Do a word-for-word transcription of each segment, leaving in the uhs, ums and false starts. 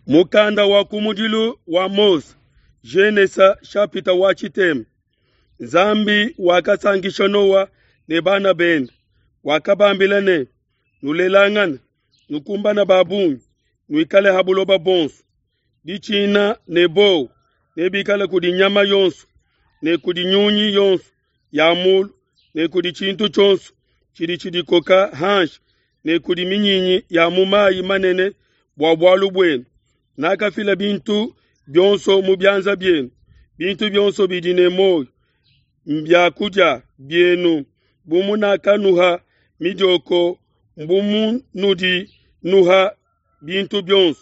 Mukanda wa kumudilu wa Mose, Genesa chapitre wa tshitema. Nzambi wakasankisha Noa ne bana bende, wakabambila ne: Nulelangane, nukumbane ba bungi, nuikale ha buloba bonso. Ditshina ne bowa nebikale kudi nyama yonso ne kudi nyunyi yonso ya mulu ne kudi tshintu tshionso tshidi tshidikoka hanshi ne kudi minyinyi ya mu mayi manene bua bualu buenu. Nakafila bintu bionso mu bianza bienu, bintu bionso bidi ne muoyo mbia kudia bienu. Bu munakanuha midioko mbu munudi nuha bintu bionso,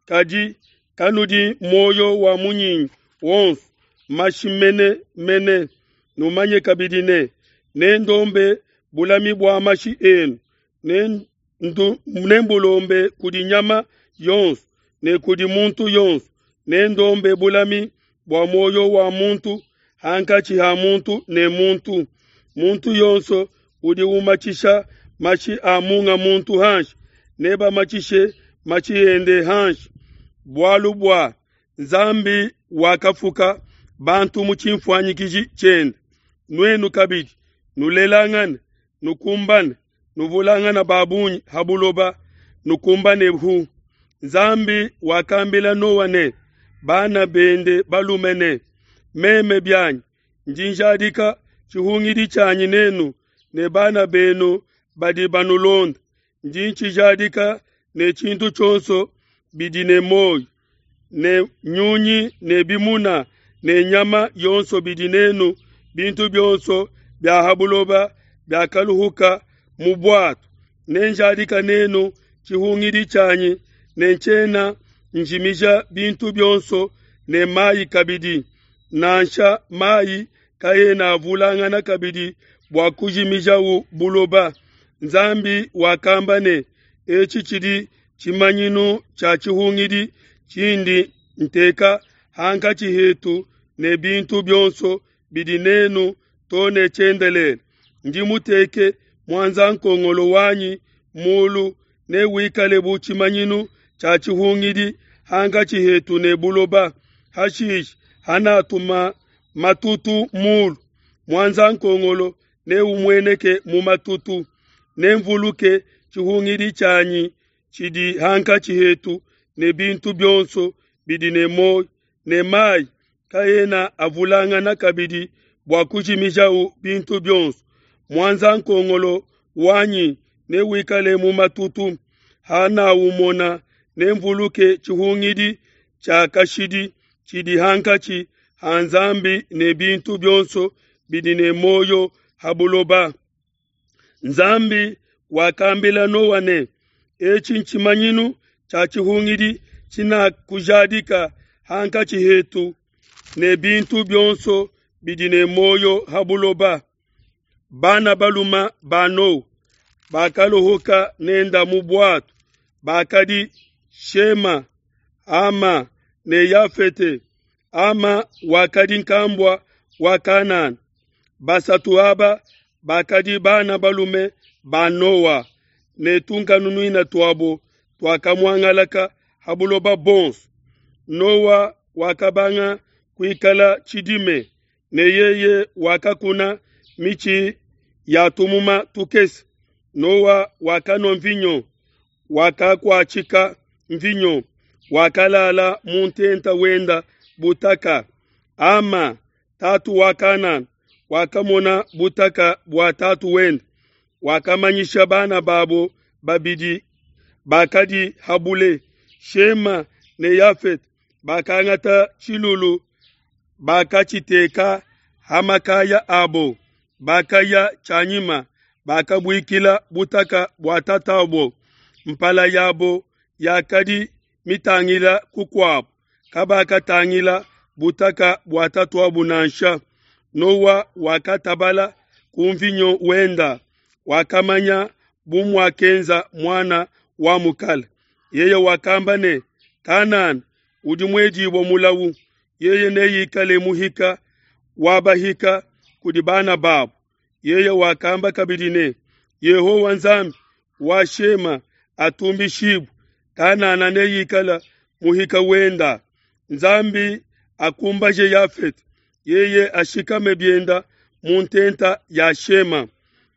kadi kanudi muoyo wa munyinyi wonso mashi mene mene. Numanye kabidi ne, nendombe bulami bua mashi enu, nembulombe kudi nyama yonso ne kudi muntu yonso. Nendombe bulami bua muoyo wa muntu hankatshi ha muntu ne muntu. Muntu yonso udi umatshisha mashi a munga muntu hanshi, nebamatshishe mashi ende hanshi. Bualu bua Nzambi wakafuka bantu mu tshinfuanyikiji tshiende. Nuenu kabidi nulelangane, nukumbane, nuvulangane ba bungi ha buloba, nukumbane hu. Nzambi wakambila Noa ne bana bende balume ne: Meme bianyi ndi njadika tshihungidi tshianyi nenu ne bana benu badi banulonda, ndi ntshijadika ne tshintu tshionso bidi ne muoyo, ne nyunyi ne bimuna ne nyama yonso bidi nenu, bintu bionso bia ha buloba biakaluhuka mu bwato. Nenjadika nenu tshihungidi tshianyi ne ntshiena njimija bintu bionso ne mayi kabidi, nansha mayi kaena avulangana kabidi bua kujimijawu buloba. Nzambi wakamba ne: Etshi tshidi tshimanyinu tshia tshihungidi tshindi nteka hankatshi hetu ne bintu bionso bidi nenu to ne tshiendelele. Ndi muteke muanzankongolo wanyi mulu, newikale bu tshimanyinu tshia tshihungidi hankatshi hetu ne buloba. Hashishe hanatuma matutu mulu, muanzankongolo neumueneke mu matutu. Nemvuluke tshihungidi tshianyi tshidi hankatshi hetu ne bintu bionso bidi ne muoyo, ne mayi kaena avulangana kabidi bua kujimijawu bintu bionso. Muanzankongolo wanyi newikale mu matutu, hanawumona nemvuluke tshihungidi tshia kashidi tshidi hankatshi ha Nzambi ne bintu bionso bidi ne muoyo ha buloba. Nzambi wakambila Noa ne: Etshi ntshimanyinu tshia tshihungidi tshinakujadika hankatshi hetu ne bintu bionso bidi ne muoyo ha buloba. Bana balume ba Noa bakaluhuka nenda mu bwato bakadi Shema, Hama ne Yafete. Hama wakadi nkambua wa Kanana. Basatu aba bakadi bana balume ba Noa, ne tunkanunuina tuabo tuakamuangalaka ha buloba bonso. Noa wakabanga kuikala tshidime, ne yeye wakakuna mitshi ya tumuma tukese. Noa wakanua mvinyo, wakakuatshika mvinyo, wakalala mu ntenta wenda butaka. Hama, tatu wa Kanana, wakamona butaka bua tatu wende, wakamanyisha bana babo babidi bakadi habule, Shema ne Yafete. Bakangata tshilulu, bakatshiteka ha makaya abo, bakaya tshianyima, bakabuikila butaka bua tatabo. Mpala yabo yakadi mitangila kukuabo, kabakatangila butaka bua tatuabo nansha. Noa wakatabala ku mvinyo wenda, wakamanya bu muakenza muana wa mukala. Yeye wakamba ne: Kanana udi muedibue mulawu, yeye neikale muhika wa bahika kudi bana babo. Yeye wakamba kabidi ne: Yehowa Nzambi wa Shema atumbishibue, Kanana neikale muhika wenda. Nzambi akumbaje Yafete, yeye ashikame bienda mu ntenta ya Shema.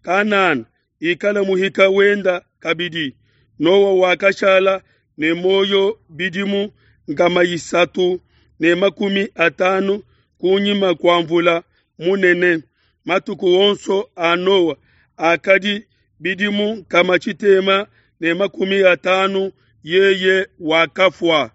Kanana ikala muhika wenda kabidi. Noa wakashala ne muoyo bidimu nkama isatu ne makumi atanu kunyima kua mvula munene. Matuku onso a Noa akadi bidimu nkama tshitema ne makumi atanu, yeye wakafua.